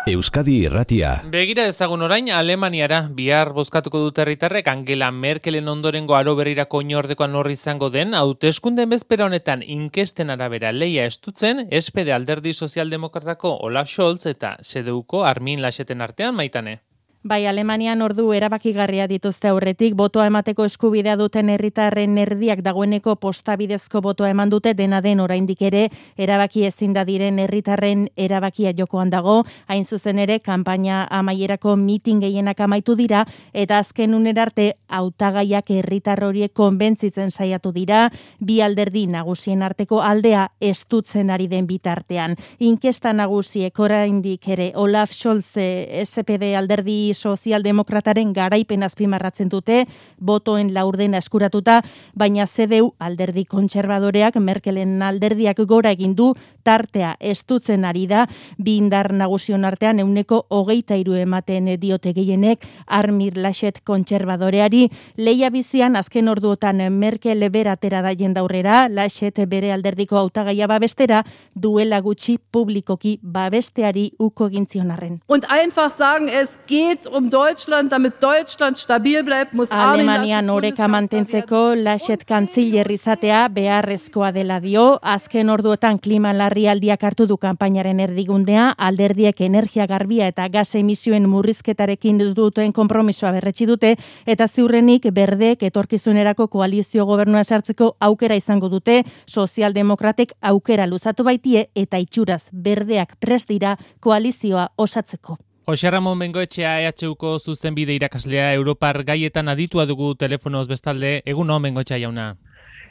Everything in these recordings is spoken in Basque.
Euskadi Irratia. Begira ezagun orain Alemaniara bihar bozkatuko dute herritarrek Angela Merkelen ondorengo aro berrirako oinordekoa nor izango den hauteskundeen bezpera honetan inkesten arabera leia estutzen SPD alderdi sozialdemokratako Olaf Scholz eta CDUko Armin Lascheten artean Maitane. Bai, Alemanian ordu erabakigarria dituzte aurretik, botoa emateko eskubidea duten herritarren erdiak dagoeneko postabidezko botoa eman dute, dena den oraindik ere erabaki ezin da diren herritarren erabakia jokoan dago, hain zuzen ere kanpaina amaierako mitin gehienak amaitu dira, eta azken unera arte hautagaiak herritar horiek konbentzitzen saiatu dira, bi alderdi nagusien arteko aldea estutzen ari den bitartean. Inkesta nagusiek oraindik ere Olaf Scholz SPD alderdi sozialdemokrataren garaipen azpimarratzen dute, botoen laurdena eskuratuta, baina CDU alderdi kontserbadoreak Merkelen alderdiak gora egin du, tartea estutzen ari da, bi indar nagusion artean 23% ematen diote gehienek Armin Laschet kontserbadoreari. Leia bizian azken orduotan Merkel beratera da jendaurrera, Laschet bere alderdiko hautagaia babestera, duela gutxi publikoki babesteari uko egin zion arren. Und einfach sagen, es geht Deutschland, damit Deutschland stabil bleibt, muss Alemanian oreka mantentzeko Laschet kantziller izatea beharrezkoa dela dio, azken orduotan klima larrialdiak hartu du kanpainaren erdigundea, alderdiek energia garbia eta gas emisioen murrizketarekin duten konpromisoa berretsi dute, eta ziurrenik berdeek etorkizunerako koalizio gobernua sartzeko aukera izango dute, sozialdemokratek aukera luzatu baitie, eta itxuraz berdeak prest dira koalizioa osatzeko. Jose Ramon Bengoetxea EHUko zuzenbide irakaslea Europar gaietan aditua dugu telefonoz bestalde. Egunon Bengoetxea jauna.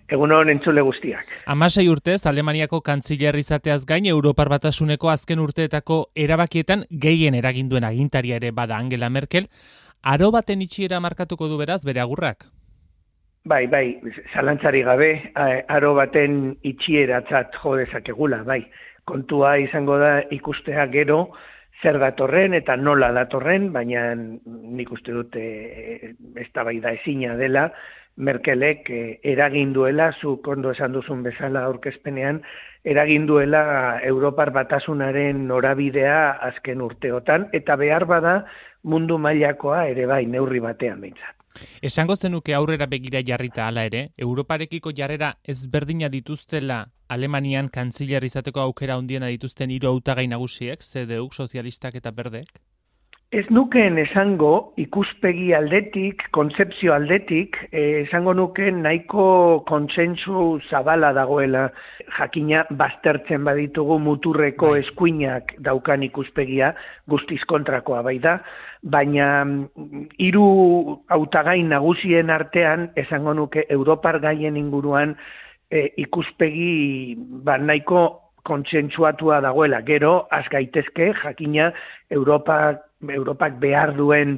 Egunon entzule guztiak. 16 urtez Alemaniako kantziller izateaz gain Europar Batasuneko azken urteetako erabakietan gehien eraginduen agintaria ere bada Angela Merkel. Aro baten itxiera markatuko du beraz bere agurrak? Bai, zalantzari gabe, aro baten itxieratzat jo dezakegula, bai. Kontua izango da ikustea gero zer datorren eta nola datorren, baina nik uste dut eztabaida ezina dela, Merkelek eraginduela, zuk ondo esan duzun bezala aurkezpenean, eraginduela Europar Batasunaren norabidea azken urteotan, eta behar bada mundu mailakoa ere bai neurri batean behintzat. Esango zenuke aurrera begira jarrita hala ere, Europarekiko jarrera ezberdina dituztela Alemanian kantziller izateko aukera handiena dituzten hiru hautagai nagusiek, CDU, sozialistak eta berdeek? Ez nukeen esango ikuspegi aldetik, kontzepzio aldetik, esango nukeen nahiko kontsentsu zabala dagoela, jakina baztertzen baditugu muturreko eskuinak daukan ikuspegia, guztiz kontrakoa bai da, baina hiru hautagai nagusien artean esango nuke Europar gaien inguruan ikuspegi nahiko kontsentsuatua dagoela. Gero, az gaitezke, jakina Europak behar duen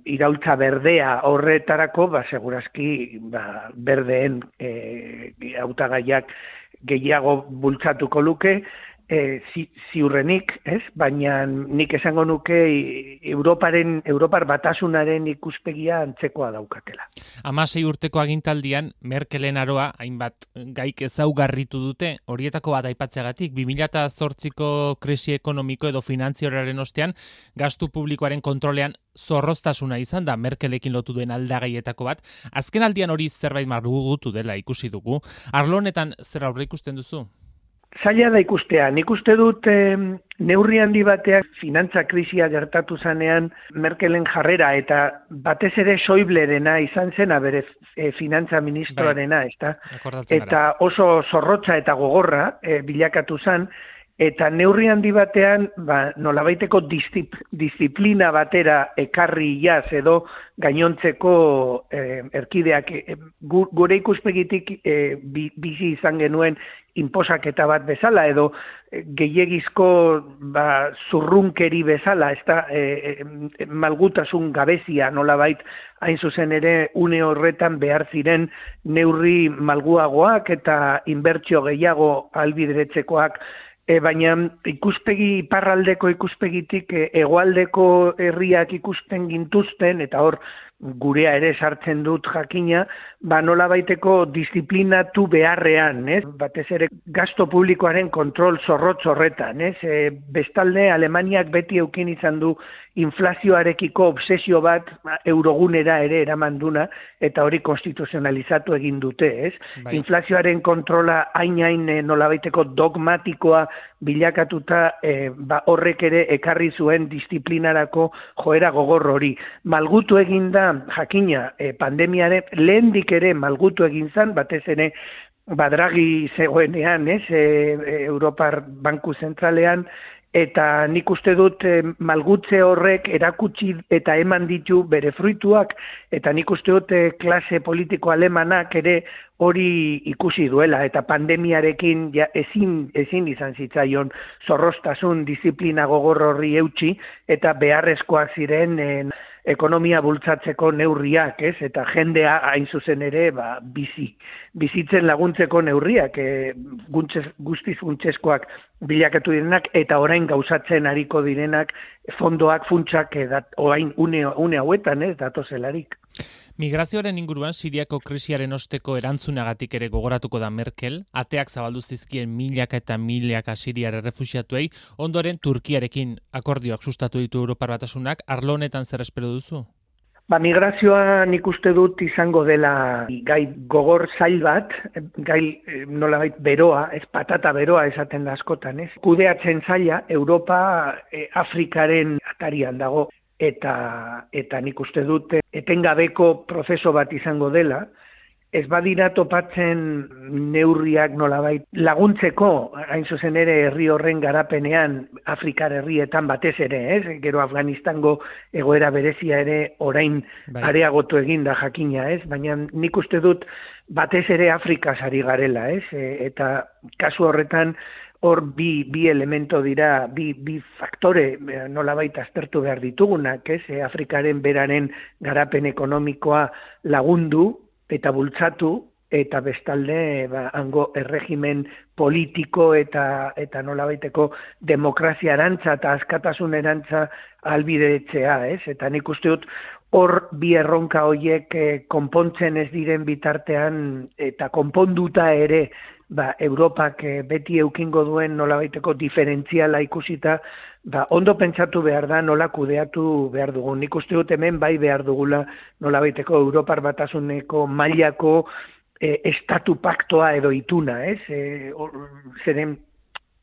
iraultza berdea horretarako, segurazki berdeen hautagaiak gehiago bultzatuko luke, ziurrenik, ez? Baina nik esango nuke Europar Batasunaren ikuspegia antzekoa daukatela. 16 urteko agintaldian Merkelen aroa hainbat gaik ezaugarritu dute, horietako bat aipatzeagatik 2008ko krisi ekonomiko edo finantziarioaren ostean gastu publikoaren kontrolean zorroztasuna izan da Merkelekin lotu duen aldagaietako bat. Azken aldian hori zerbait marrugutu dela ikusi dugu. Arlo honetan zer aurre ikusten duzu? Zaila da ikustea. Nik uste dut neurri handi bateak finantza krisia gertatu zanean Merkelen jarrera eta batez ere Schäublerena izan zena bere finantza ministroarena, ezta? Eta oso zorrotza eta gogorra bilakatu zen, eta neurri handi batean nolabaiteko disiplina batera ekarri jaz edo gainontzeko erkideak gure ikuspegitik bizi izan genuen inposaketa bat bezala edo gehiegizko zurrunkeri bezala, malgutasun gabezia nolabait hain zuzen ere une horretan behar ziren neurri malguagoak eta inbertsio gehiago ahalbideretzekoak. Baina iparraldeko ikuspegitik hegoaldeko herriak ikusten gintuzten, eta hor gurea ere sartzen dut jakina, nolabaiteko disiplinatu beharrean, batez ere gasto publikoaren kontrol zorrotz horretan, bestalde Alemaniak beti eukin izan du inflazioarekiko obsesio bat eurogunera ere eramanduna, eta hori konstituzionalizatu egin dute, Bai. Inflazioaren kontrola hain nolabaiteko dogmatikoa bilakatuta, horrek ere ekarri zuen disiplinarako joera gogor hori. Malgutu egin da jakina pandemiaren lehendik ere malgutu egin zen, batez ere Draghi zegoenean, Europar Banku Zentralean, eta nik uste dut malgutze horrek erakutsi eta eman ditu bere fruituak, eta nik uste dut klase politiko alemanak ere hori ikusi duela, eta pandemiarekin ezin izan zitzaion zorroztasun disiplina gogor horri eutsi, eta beharrezkoak ziren ekonomia bultzatzeko neurriak, eta jendea hain zuzen ere bizitzen laguntzeko neurriak, guztiz funtsezkoak bilakatu direnak, eta orain gauzatzen ariko direnak fondoak, funtsak, orain une hauetan, datozelarik. Migrazioaren inguruan Siriako krisiaren osteko erantzunagatik ere gogoratuko da Merkel, ateak zabaldu zizkien milaka eta milaka siriar errefuxiatuei, ondoren Turkiarekin akordioak sustatu ditu Europar Batasunak, arlo honetan zer espero duzu? Migrazioa nik uste dut izango dela gai gogor zail bat, gai nolabait beroa, patata beroa esaten da askotan, Kudeatzen zaila, Europa Afrikaren atarian dago, eta nik uste dut etengabeko prozeso bat izango dela, ez badira topatzen neurriak nolabait laguntzeko, hain zuzen ere herri horren garapenean, Afrikar herrietan batez ere, gero Afganistango egoera berezia ere orain areagotu egin da jakina, baina nik uste dut batez ere Afrikaz ari garela, eta kasu horretan hor bi elemento dira, bi faktore nolabait aztertu behar ditugunak, Afrikaren beraren garapen ekonomikoa lagundu eta bultzatu, eta bestalde hango erregimen politiko eta nolabaiteko demokrazia erantza eta askatasun erantza albidetzea, eta nik uste dut hor bi erronka horiek konpontzen ez diren bitartean eta konponduta ere Europak beti eukingo duen nolabaiteko diferentziala ikusita, ondo pentsatu behar da nola kudeatu behar dugun. Nik uste dut hemen bai behar dugula nolabaiteko Europar Batasuneko mailako estatu paktoa edo ituna, zeren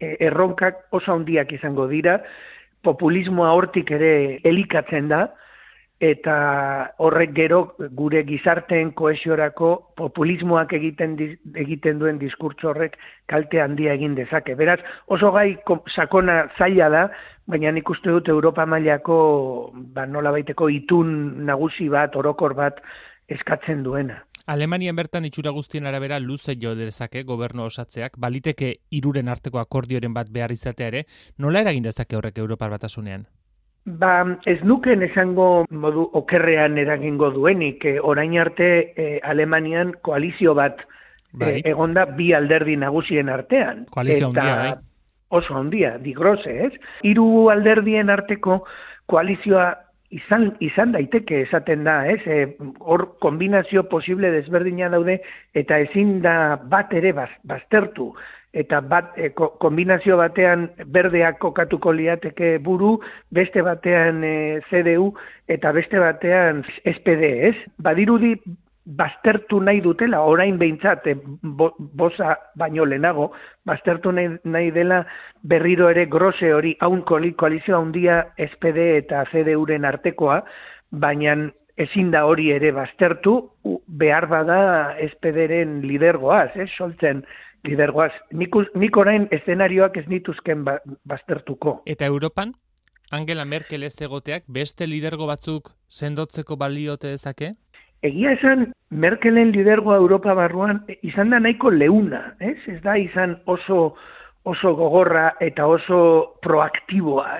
erronkak oso handiak izango dira, populismoa hortik ere elikatzen da, eta horrek gero gure gizarteen kohesiorako populismoak egiten duen diskurtso horrek kalte handia egin dezake. Beraz, oso gai sakona zaila da, baina nik uste dut Europa mailako nolabaiteko itun nagusi bat, orokor bat eskatzen duena. Alemanian bertan itxura guztien arabera luze jo dezake gobernu osatzeak, baliteke hiruren arteko akordioren bat behar izatea ere, nola eragin dezake horrek Europar Batasunean? Ez nuken esango modu okerrean eragingo duenik, orain arte Alemanian koalizio bat egonda bi alderdi nagusien artean. Koalizio handia, bai? Oso handia, digrose, Hiru alderdien arteko koalizioa izan daiteke esaten da, hor kombinazio posible desberdina daude, eta ezin da bat ere baztertu. Eta kombinazio batean berdeak kokatuko liateke buru, beste batean CDU, eta beste batean SPD, Badirudi baztertu nahi dutela, orain behintzat, bosa baino lehenago, baztertu nahi dela berriro ere grose hori, haun koalizio handia SPD eta CDUren artekoa, baina ezin da hori ere baztertu, behar bada SPDren lidergoaz, soltzen lidergoaz. Nik orain eszenarioak ez nituzken baztertuko. Eta Europan, Angela Merkel ez egoteak beste lidergo batzuk sendotzeko baliote dezake? Egia esan, Merkelen lidergoa Europa barruan izan da nahiko leuna, ez da izan oso gogorra eta oso proaktiboa,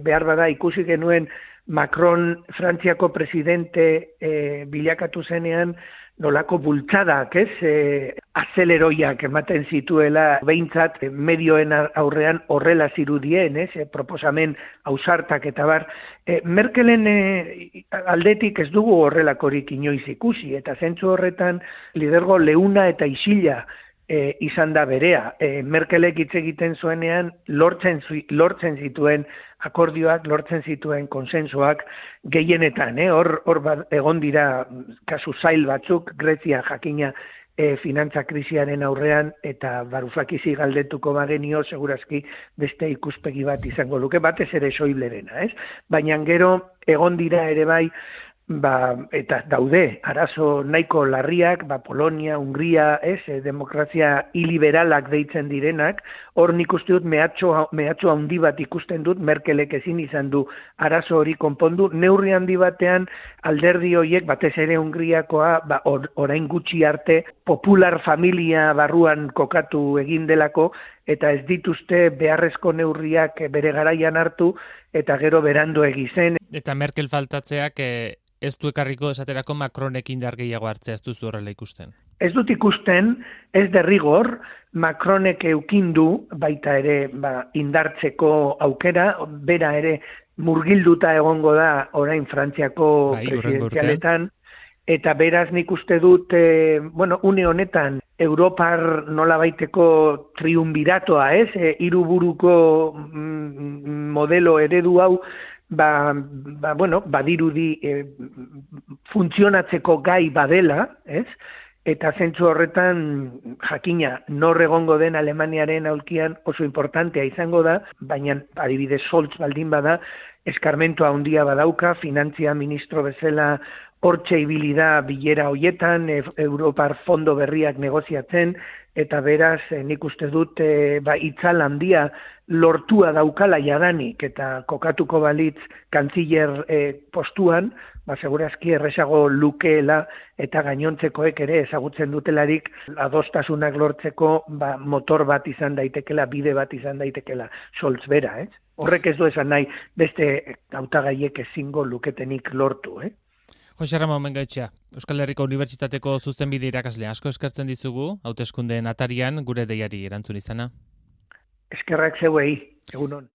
behar bada ikusi genuen Macron Frantziako presidente bilakatu zenean, nolako bultzadak, azeleroiak ematen zituela, behintzat medioen aurrean horrela zirudien, proposamen ausartak eta bar. Merkelen aldetik ez dugu horrelakorik inoiz ikusi, eta zentzu horretan lidergo leuna eta isila izan da berea. Merkelek hitz egiten zuenean lortzen zituen akordioak, lortzen zituen konsensuak gehienetan. Hor egon dira kasu zail batzuk, Grezia jakina finantza krisiaren aurrean, eta Varoufakisi galdetuko bagenio, segurazki beste ikuspegi bat izango luke, batez ere Schäublerena, Baina gero egon dira ere bai, eta daude arazo nahiko larriak, Polonia, Hungria, demokrazia iliberalak deitzen direnak, hor nik uste dut mehatxo handi bat ikusten dut, Merkelek ezin izan du arazo hori konpondu, neurri handi batean alderdi horiek, batez ere Hungriakoa, orain gutxi arte, popular familia barruan kokatu egin delako, eta ez dituzte beharrezko neurriak bere garaian hartu, eta gero berandu egizen. Eta Merkel faltatzeak ez du ekarriko esaterako Macronek indar gehiago hartzea, ez duzu horrela ikusten? Ez dut ikusten, ez derrigor, Macronek eukindu baita ere indartzeko aukera, bera ere murgilduta egongo da orain Frantziako presidenzialetan, eta beraz nik uste dut, une honetan, Europar nolabaiteko triunbiratoa, hiruburuko modelo eredu hau, badirudi funtzionatzeko gai badela, eta zentzu horretan jakina nor egongo den Alemaniaren aulkian oso importantea izango da, baina adibidez Scholz baldin bada, eskarmentua handia badauka, finantzia ministro bezala hortxe ibili da bilera hoietan, Europar fondo berriak negoziatzen, eta beraz nik uste dut itzal handia lortua daukala jadanik, eta kokatuko balitz kantziller postuan, segurazki errezago lukeela eta gainontzekoek ere ezagutzen dutelarik adostasunak lortzeko motor bat izan daitekela, bide bat izan daitekela Scholz bera, Horrek ez du esan nahi beste hautagaiek ezingo luketenik lortu, Jose Ramon Bengoetxea, Euskal Herriko Unibertsitateko zuzenbide irakaslea, asko eskertzen dizugu, hauteskundeen atarian gure deiari erantzun izana. Eskerrak zeuei, egunon.